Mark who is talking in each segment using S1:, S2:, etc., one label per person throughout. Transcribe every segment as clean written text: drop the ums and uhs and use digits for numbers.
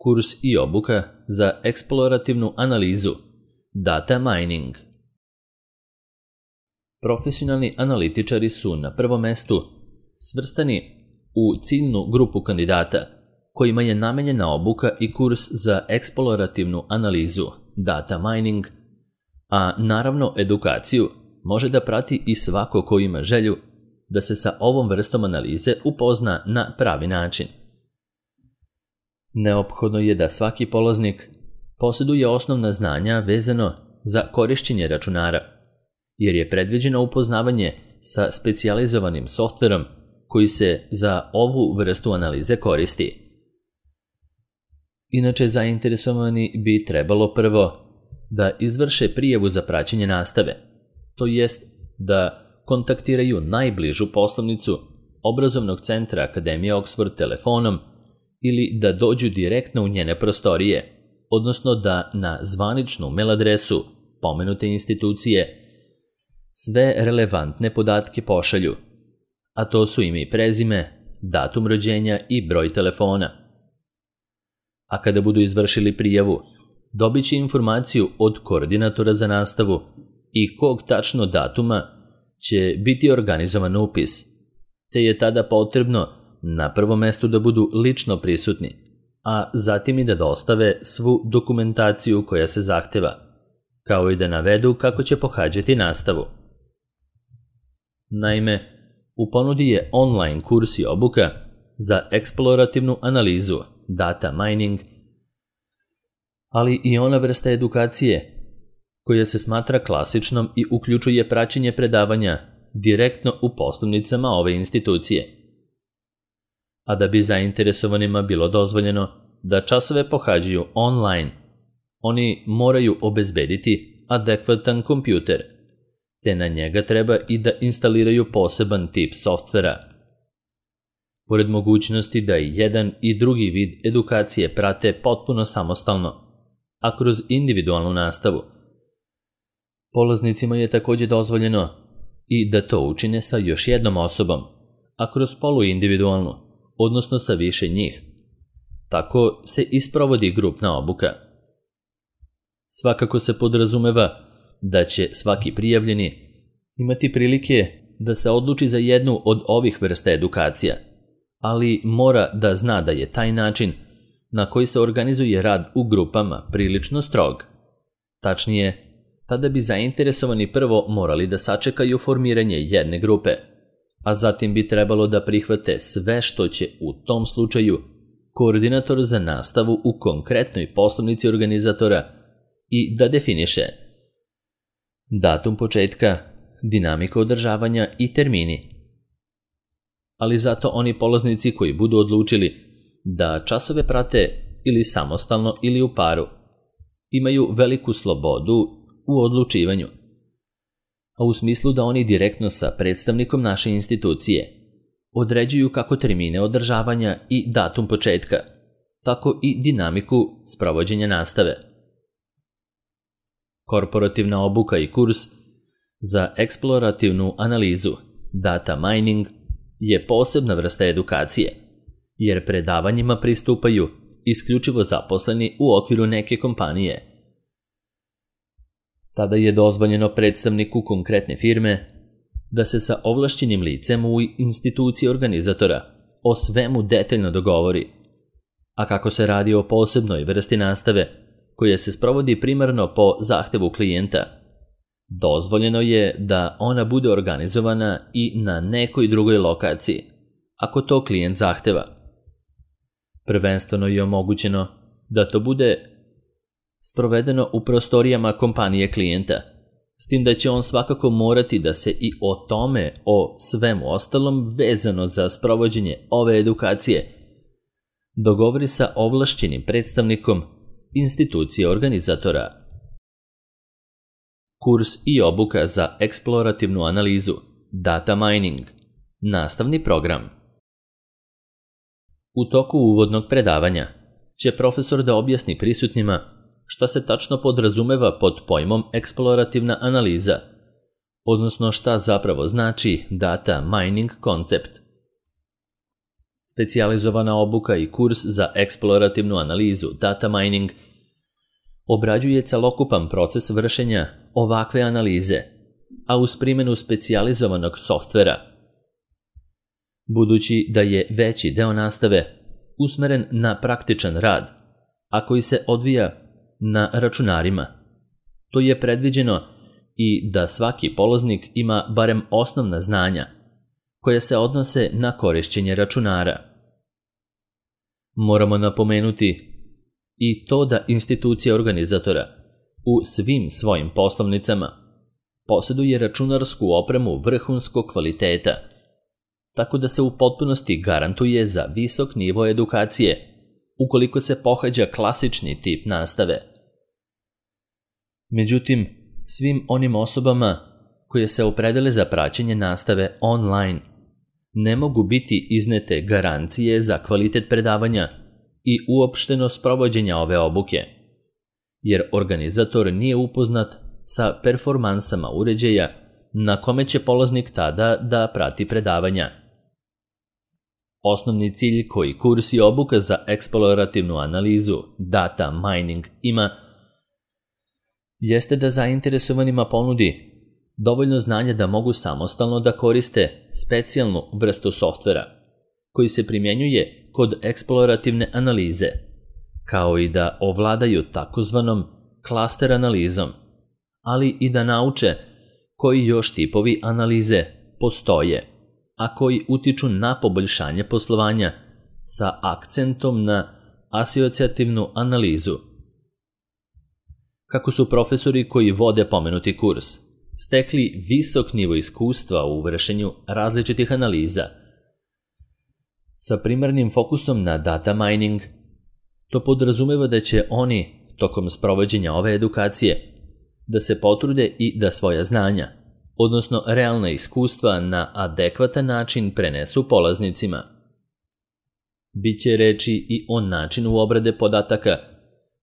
S1: Kurs i obuka za eksplorativnu analizu, data mining. Profesionalni analitičari su na prvom mestu svrstani u ciljnu grupu kandidata kojima je namenjena obuka i kurs za eksplorativnu analizu, data mining, a naravno edukaciju može da prati i svako ko ima želju da se sa ovom vrstom analize upozna na pravi način. Neophodno je da svaki polaznik posjeduje osnovna znanja vezano za korišćenje računara, jer je predviđeno upoznavanje sa specijalizovanim softverom koji se za ovu vrstu analize koristi. Inače, zainteresovani bi trebalo prvo da izvrše prijavu za praćenje nastave, to jest da kontaktiraju najbližu poslovnicu obrazovnog centra Akademije Oxford telefonom ili da dođu direktno u njene prostorije, odnosno da na zvaničnu mail adresu pomenute institucije sve relevantne podatke pošalju, a to su ime i prezime, datum rođenja i broj telefona. A kada budu izvršili prijavu, dobit će informaciju od koordinatora za nastavu i kog tačno datuma će biti organizovan upis, te je tada potrebno na prvom mestu da budu lično prisutni, a zatim i da dostave svu dokumentaciju koja se zahteva, kao i da navedu kako će pohađati nastavu. Naime, u ponudi je online kurs i obuka za eksplorativnu analizu, data mining, ali i ona vrsta edukacije koja se smatra klasičnom i uključuje praćenje predavanja direktno u poslovnicama ove institucije. A da bi zainteresovanima bilo dozvoljeno da časove pohađaju online, oni moraju obezbediti adekvatan kompjuter, te na njega treba i da instaliraju poseban tip softvera. Pored mogućnosti da i jedan i drugi vid edukacije prate potpuno samostalno, a kroz individualnu nastavu, polaznicima je također dozvoljeno i da to učine sa još jednom osobom, a kroz poluindividualnu, odnosno sa više njih. Tako se isprovodi grupna obuka. Svakako se podrazumeva da će svaki prijavljeni imati prilike da se odluči za jednu od ovih vrsta edukacija, ali mora da zna da je taj način na koji se organizuje rad u grupama prilično strog. Tačnije, tada bi zainteresovani prvo morali da sačekaju formiranje jedne grupe, a zatim bi trebalo da prihvate sve što će u tom slučaju koordinator za nastavu u konkretnoj poslovnici organizatora i da definiše datum početka, dinamiku održavanja i termini. Ali zato oni polaznici koji budu odlučili da časove prate ili samostalno ili u paru, imaju veliku slobodu u odlučivanju, a u smislu da oni direktno sa predstavnikom naše institucije određuju kako termine održavanja i datum početka, tako i dinamiku sprovođenja nastave. Korporativna obuka i kurs za eksplorativnu analizu, data mining, je posebna vrsta edukacije, jer predavanjima pristupaju isključivo zaposleni u okviru neke kompanije. Tada je dozvoljeno predstavniku konkretne firme da se sa ovlašćenim licem u instituciji organizatora o svemu detaljno dogovori, a kako se radi o posebnoj vrsti nastave koja se sprovodi primarno po zahtevu klijenta, dozvoljeno je da ona bude organizovana i na nekoj drugoj lokaciji, ako to klijent zahteva. Prvenstveno je omogućeno da to bude sprovedeno u prostorijama kompanije klijenta, s tim da će on svakako morati da se i o tome, o svemu ostalom vezano za sprovođenje ove edukacije, dogovori sa ovlašćenim predstavnikom institucije organizatora. Kurs i obuka za eksplorativnu analizu, data mining, nastavni program. U toku uvodnog predavanja će profesor da objasni prisutnima šta se tačno podrazumeva pod pojmom eksplorativna analiza, odnosno šta zapravo znači data mining koncept. Specijalizovana obuka i kurs za eksplorativnu analizu data mining obrađuje celokupan proces vršenja ovakve analize, a uz primjenu specijalizovanog softvera. Budući da je veći deo nastave usmeren na praktičan rad, a koji se odvija na računarima, to je predviđeno i da svaki polaznik ima barem osnovna znanja koja se odnose na korišćenje računara. Moramo napomenuti i to da institucija organizatora u svim svojim poslovnicama posjeduje računarsku opremu vrhunskog kvaliteta, tako da se u potpunosti garantuje za visok nivo edukacije ukoliko se pohađa klasični tip nastave. Međutim, svim onim osobama koje se opredele za praćenje nastave online ne mogu biti iznete garancije za kvalitet predavanja i uopšteno sprovođenja ove obuke, jer organizator nije upoznat sa performansama uređaja na kome će polaznik tada da prati predavanja. Osnovni cilj koji kurs i obuka za eksplorativnu analizu data mining ima jeste da zainteresovanima ponudi dovoljno znanja da mogu samostalno da koriste specijalnu vrstu softvera koji se primjenjuje kod eksplorativne analize, kao i da ovladaju takozvanom klaster analizom, ali i da nauče koji još tipovi analize postoje, a koji utiču na poboljšanje poslovanja sa akcentom na asocijativnu analizu. Kako su profesori koji vode pomenuti kurs stekli visok nivo iskustva u vršenju različitih analiza sa primarnim fokusom na data mining, to podrazumeva da će oni, tokom sprovođenja ove edukacije, da se potrude i da svoja znanja, odnosno realna iskustva na adekvatan način prenesu polaznicima. Biće reči i o načinu obrade podataka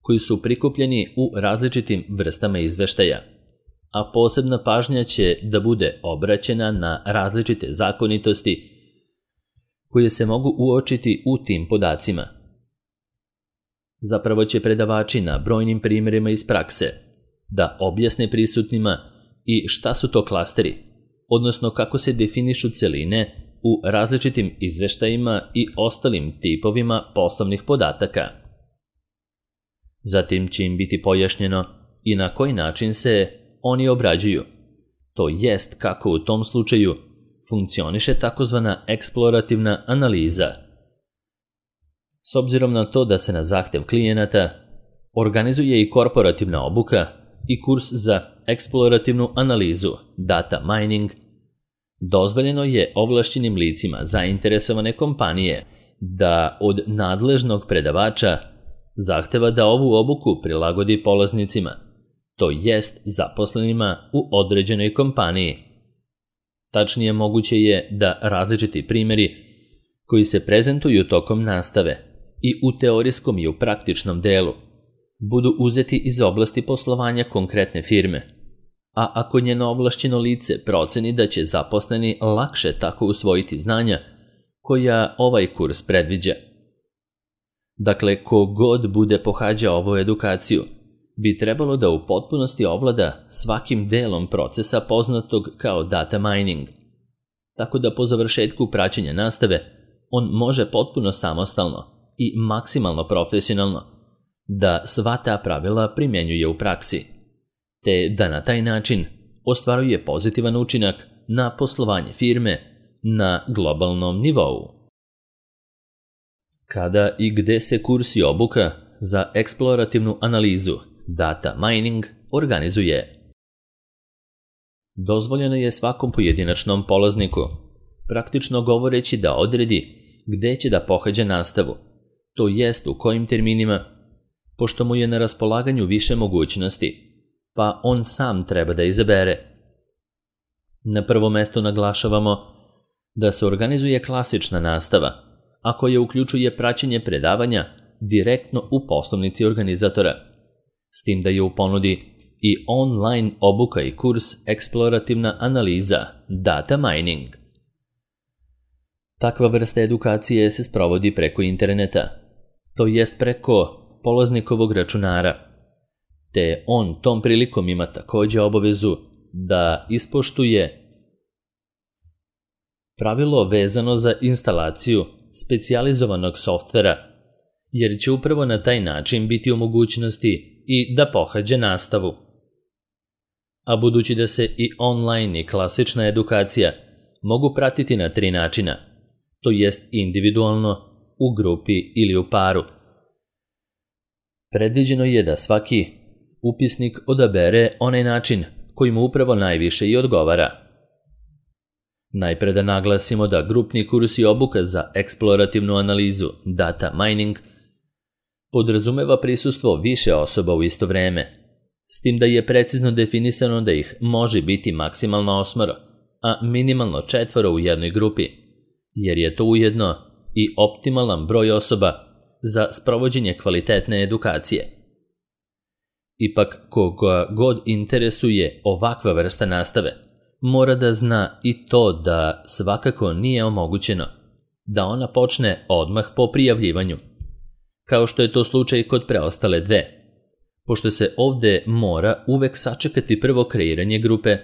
S1: koji su prikupljeni u različitim vrstama izveštaja, a posebna pažnja će da bude obraćena na različite zakonitosti koje se mogu uočiti u tim podacima. Zapravo će predavači na brojnim primjerima iz prakse da objasne prisutnima i šta su to klasteri, odnosno kako se definišu celine u različitim izveštajima i ostalim tipovima poslovnih podataka. Zatim će im biti pojašnjeno i na koji način se oni obrađuju, to jest kako u tom slučaju funkcioniše takozvana eksplorativna analiza. S obzirom na to da se na zahtev klijenata organizuje i korporativna obuka i kurs za eksplorativnu analizu data mining, dozvoljeno je ovlašćenim licima zainteresovane kompanije da od nadležnog predavača zahteva da ovu obuku prilagodi polaznicima, to jest zaposlenima u određenoj kompaniji. Tačnije, moguće je da različiti primjeri koji se prezentuju tokom nastave i u teorijskom i u praktičnom delu budu uzeti iz oblasti poslovanja konkretne firme, a ako njeno ovlašćeno lice proceni da će zaposleni lakše tako usvojiti znanja koja ovaj kurs predviđa. Dakle, ko god bude pohađao ovu edukaciju bi trebalo da u potpunosti ovlada svakim delom procesa poznatog kao data mining, tako da po završetku praćenja nastave on može potpuno samostalno i maksimalno profesionalno da sva ta pravila primjenjuje u praksi, te da na taj način ostvaruje pozitivan učinak na poslovanje firme na globalnom nivou. Kada i gde se kurs i obuka za eksplorativnu analizu data mining organizuje? Dozvoljeno je svakom pojedinačnom polazniku, praktično govoreći, da odredi gde će da pohađa nastavu, to jest u kojim terminima, pošto mu je na raspolaganju više mogućnosti, pa on sam treba da izabere. Na prvo mesto naglašavamo da se organizuje klasična nastava, a koja uključuje praćenje predavanja direktno u poslovnici organizatora, s tim da je u ponudi i online obuka i kurs eksplorativna analiza data mining. Takva vrsta edukacije se sprovodi preko interneta, to jest preko polaznikovog računara, te on tom prilikom ima također obavezu da ispoštuje pravilo vezano za instalaciju specijalizovanog softvera, jer će upravo na taj način biti u mogućnosti i da pohađa nastavu. A budući da se i online i klasična edukacija mogu pratiti na 3 načina, to jest individualno, u grupi ili u paru, predviđeno je da svaki upisnik odabere onaj način koji mu upravo najviše i odgovara. Najpre da naglasimo da grupni kurs i obuka za eksplorativnu analizu data mining podrazumeva prisustvo više osoba u isto vreme, s tim da je precizno definisano da ih može biti maksimalno 8, a minimalno 4 u jednoj grupi, jer je to ujedno i optimalan broj osoba za sprovođenje kvalitetne edukacije. Ipak, koga god interesuje ovakva vrsta nastave, mora da zna i to da svakako nije omogućeno da ona počne odmah po prijavljivanju, kao što je to slučaj kod preostale 2, pošto se ovdje mora uvek sačekati prvo kreiranje grupe,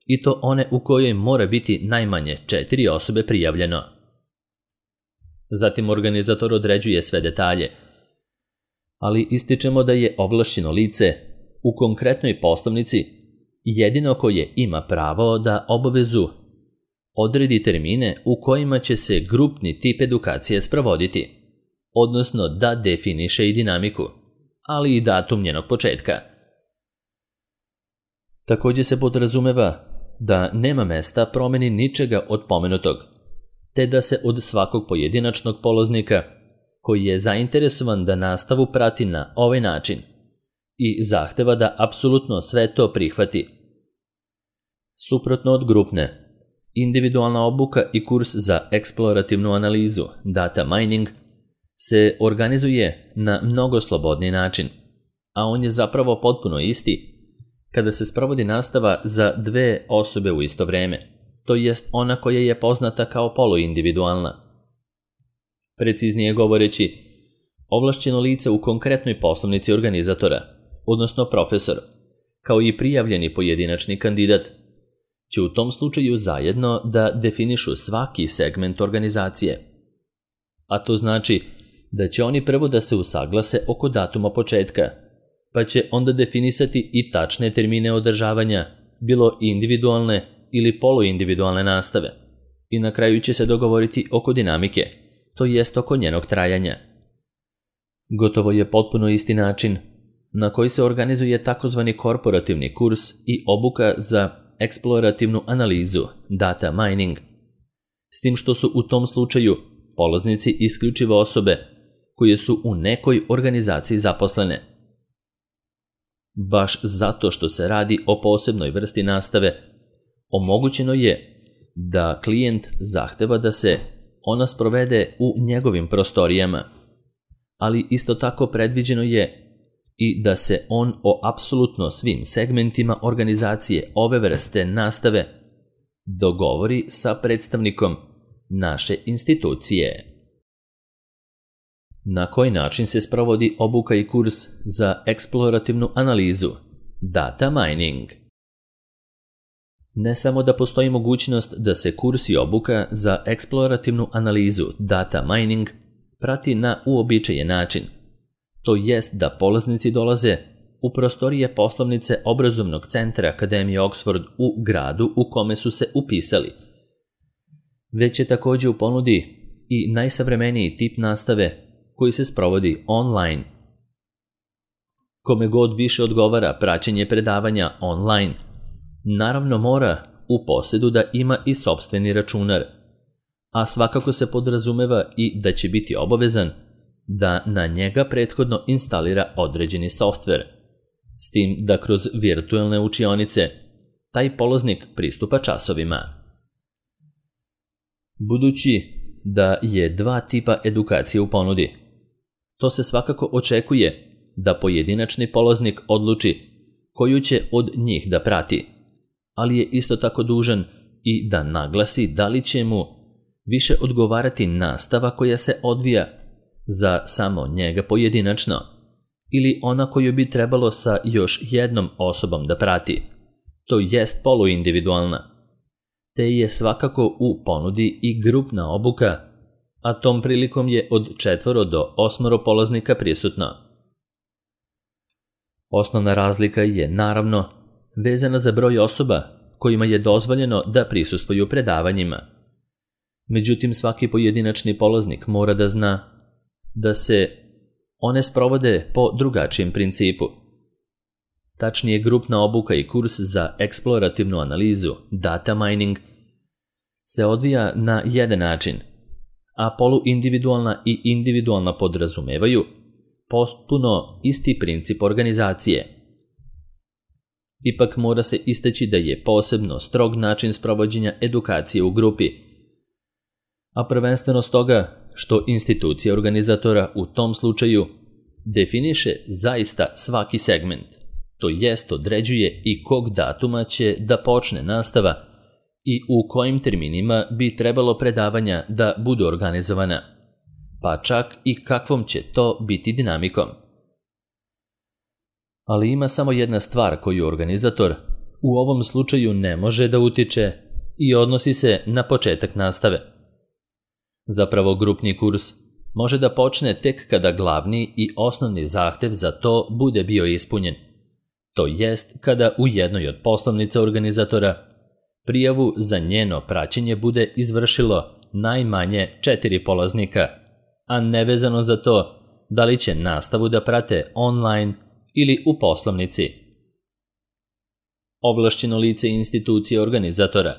S1: i to one u kojoj mora biti najmanje 4 osobe prijavljeno. Zatim organizator određuje sve detalje, ali ističemo da je ovlašćeno lice u konkretnoj poslovnici jedino koje ima pravo da obavezu odredi termine u kojima će se grupni tip edukacije sprovoditi, odnosno da definiše i dinamiku, ali i datum njenog početka. Također se podrazumeva da nema mesta promjeni ničega od pomenutog, te da se od svakog pojedinačnog polaznika koji je zainteresovan da nastavu prati na ovaj način i zahteva da apsolutno sve to prihvati. Suprotno od grupne, individualna obuka i kurs za eksplorativnu analizu data mining se organizuje na mnogo slobodniji način, a on je zapravo potpuno isti kada se sprovodi nastava za 2 osobe u isto vreme, to jest ona koja je poznata kao poluindividualna. Preciznije govoreći, ovlašćeno lice u konkretnoj poslovnici organizatora, odnosno profesor, kao i prijavljeni pojedinačni kandidat, će u tom slučaju zajedno da definišu svaki segment organizacije. A to znači da će oni prvo da se usaglase oko datuma početka, pa će onda definisati i tačne termine održavanja, bilo individualne ili poluindividualne nastave, i na kraju će se dogovoriti oko dinamike, to jest oko njenog trajanja. Gotovo je potpuno isti način na koji se organizuje takozvani korporativni kurs i obuka za eksplorativnu analizu data mining, s tim što su u tom slučaju polaznici isključivo osobe koje su u nekoj organizaciji zaposlene. Baš zato što se radi o posebnoj vrsti nastave, omogućeno je da klijent zahteva da se ona sprovede u njegovim prostorijama, ali isto tako predviđeno je i da se on o apsolutno svim segmentima organizacije ove vrste nastave dogovori sa predstavnikom naše institucije. Na koji način se sprovodi obuka i kurs za eksplorativnu analizu data mining? Ne samo da postoji mogućnost da se kurs i obuka za eksplorativnu analizu data mining prati na uobičajen način, to jest da polaznici dolaze u prostorije poslovnice obrazovnog centra Akademije Oxford u gradu u kome su se upisali, već je također u ponudi i najsavremeniji tip nastave koji se sprovodi online. Kome god više odgovara praćenje predavanja online, naravno mora u posjedu da ima i sopstveni računar, a svakako se podrazumeva i da će biti obavezan da na njega prethodno instalira određeni softver, s tim da kroz virtualne učionice taj polaznik pristupa časovima. Budući da je 2 tipa edukacije u ponudi, to se svakako očekuje da pojedinačni polaznik odluči koju će od njih da prati, ali je isto tako dužan i da naglasi da li će mu više odgovarati nastava koja se odvija za samo njega pojedinačno ili ona koju bi trebalo sa još jednom osobom da prati, to jest poluindividualna, te je svakako u ponudi i grupna obuka, a tom prilikom je od 4 do 8 polaznika prisutno. Osnovna razlika je, naravno, vezana za broj osoba kojima je dozvoljeno da prisustvuju predavanjima. Međutim, svaki pojedinačni polaznik mora da zna da se one sprovode po drugačijem principu. Tačnije, grupna obuka i kurs za eksplorativnu analizu, data mining, se odvija na jedan način, a poluindividualna i individualna podrazumevaju potpuno isti princip organizacije. Ipak mora se istaći da je posebno strog način sprovođenja edukacije u grupi, a prvenstveno stoga što institucija organizatora u tom slučaju definiše zaista svaki segment, to jest određuje i kog datuma će da počne nastava i u kojim terminima bi trebalo predavanja da budu organizovana, pa čak i kakvom će to biti dinamikom. Ali ima samo jedna stvar koju organizator u ovom slučaju ne može da utiče i odnosi se na početak nastave. Zapravo, grupni kurs može da počne tek kada glavni i osnovni zahtev za to bude bio ispunjen, to jest kada u jednoj od poslovnica organizatora prijavu za njeno praćenje bude izvršilo najmanje 4 polaznika, a nevezano za to da li će nastavu da prate online ili u poslovnici. Ovlašćeno lice institucije organizatora,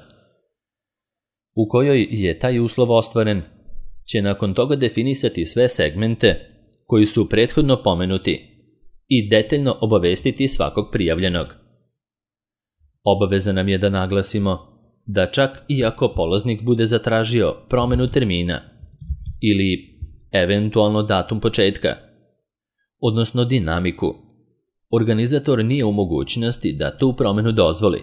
S1: u kojoj je taj uslov ostvaren, će nakon toga definisati sve segmente koji su prethodno pomenuti i detaljno obavestiti svakog prijavljenog. Obaveza nam je da naglasimo da čak i ako polaznik bude zatražio promenu termina ili eventualno datum početka, odnosno dinamiku, organizator nije u mogućnosti da tu promenu dozvoli,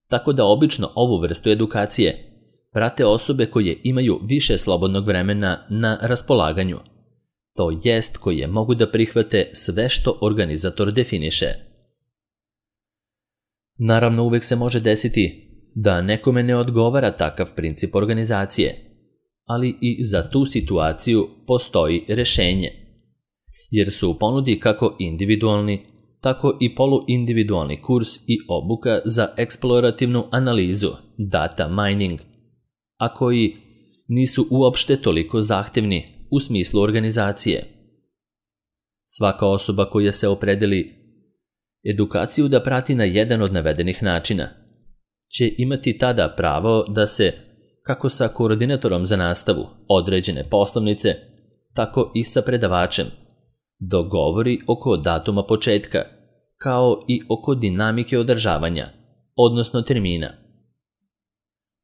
S1: tako da obično ovu vrstu edukacije prate osobe koje imaju više slobodnog vremena na raspolaganju, to jest koje mogu da prihvate sve što organizator definiše. Naravno, uvek se može desiti da nekome ne odgovara takav princip organizacije, ali i za tu situaciju postoji rešenje, jer su u ponudi kako individualni, tako i poluindividualni kurs i obuka za eksplorativnu analizu, data mining, a koji nisu uopšte toliko zahtevni u smislu organizacije. Svaka osoba koja se opredeli edukaciju da prati na jedan od navedenih načina će imati tada pravo da se, kako sa koordinatorom za nastavu određene poslovnice, tako i sa predavačem, dogovori oko datuma početka, kao i oko dinamike održavanja, odnosno termina.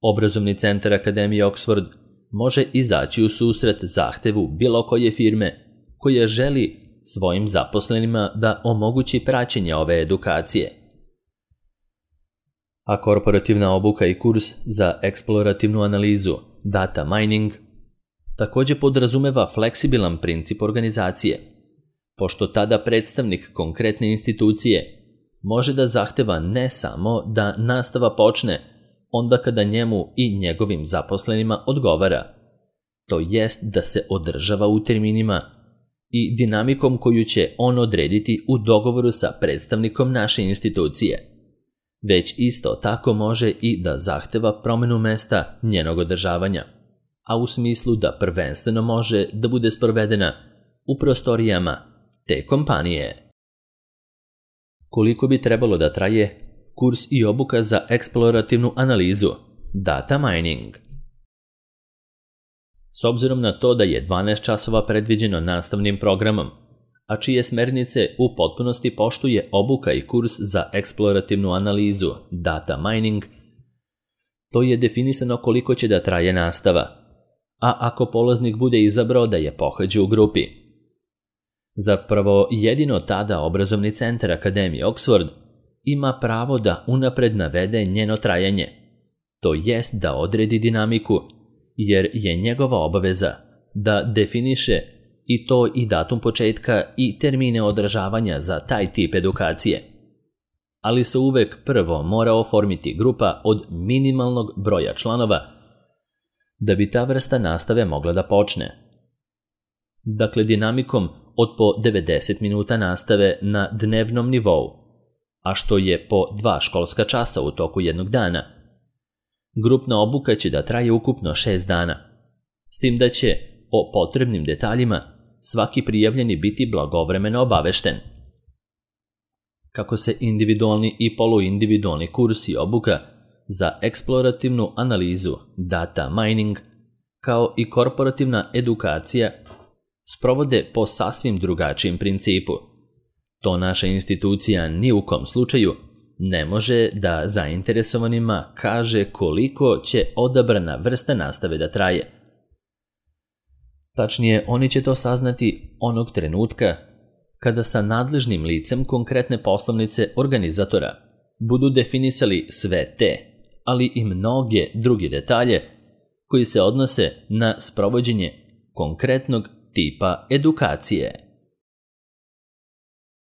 S1: Obrazovni centar Akademije Oxford može izaći u susret zahtevu bilo koje firme koja želi svojim zaposlenima da omogući praćenje ove edukacije. A korporativna obuka i kurs za eksplorativnu analizu, data mining, također podrazumeva fleksibilan princip organizacije, pošto tada predstavnik konkretne institucije može da zahteva ne samo da nastava počne onda kada njemu i njegovim zaposlenima odgovara, to jest da se održava u terminima i dinamikom koju će on odrediti u dogovoru sa predstavnikom naše institucije, već isto tako može i da zahteva promenu mesta njenog održavanja, a u smislu da prvenstveno može da bude sprovedena u prostorijama te kompanije. Koliko bi trebalo da traje kurs i obuka za eksplorativnu analizu, data mining? S obzirom na to da je 12 časova predviđeno nastavnim programom, a čije smernice u potpunosti poštuje obuka i kurs za eksplorativnu analizu, data mining, to je definisano koliko će da traje nastava, a ako polaznik bude izabrao da je pohađa u grupi. Zapravo, jedino tada obrazovni centar Akademije Oxford ima pravo da unapred navede njeno trajanje, to jest da odredi dinamiku jer je njegova obaveza da definiše i to i datum početka i termine održavanja za taj tip edukacije. Ali se uvek prvo mora oformiti grupa od minimalnog broja članova da bi ta vrsta nastave mogla da počne. Dakle, dinamikom od po 90 minuta nastave na dnevnom nivou, a što je po 2 školska časa u toku jednog dana. Grupna obuka će da traje ukupno 6 dana, s tim da će o potrebnim detaljima svaki prijavljeni biti blagovremeno obavešten. Kako se individualni i poluindividualni kurs i obuka za eksplorativnu analizu data mining, kao i korporativna edukacija, sprovode po sasvim drugačijem principu. To naša institucija ni u kom slučaju ne može da zainteresovanima kaže koliko će odabrana vrsta nastave da traje. Tačnije, oni će to saznati onog trenutka kada sa nadležnim licem konkretne poslovnice organizatora budu definisali sve te, ali i mnoge druge detalje koji se odnose na sprovođenje konkretnog tipa edukacije.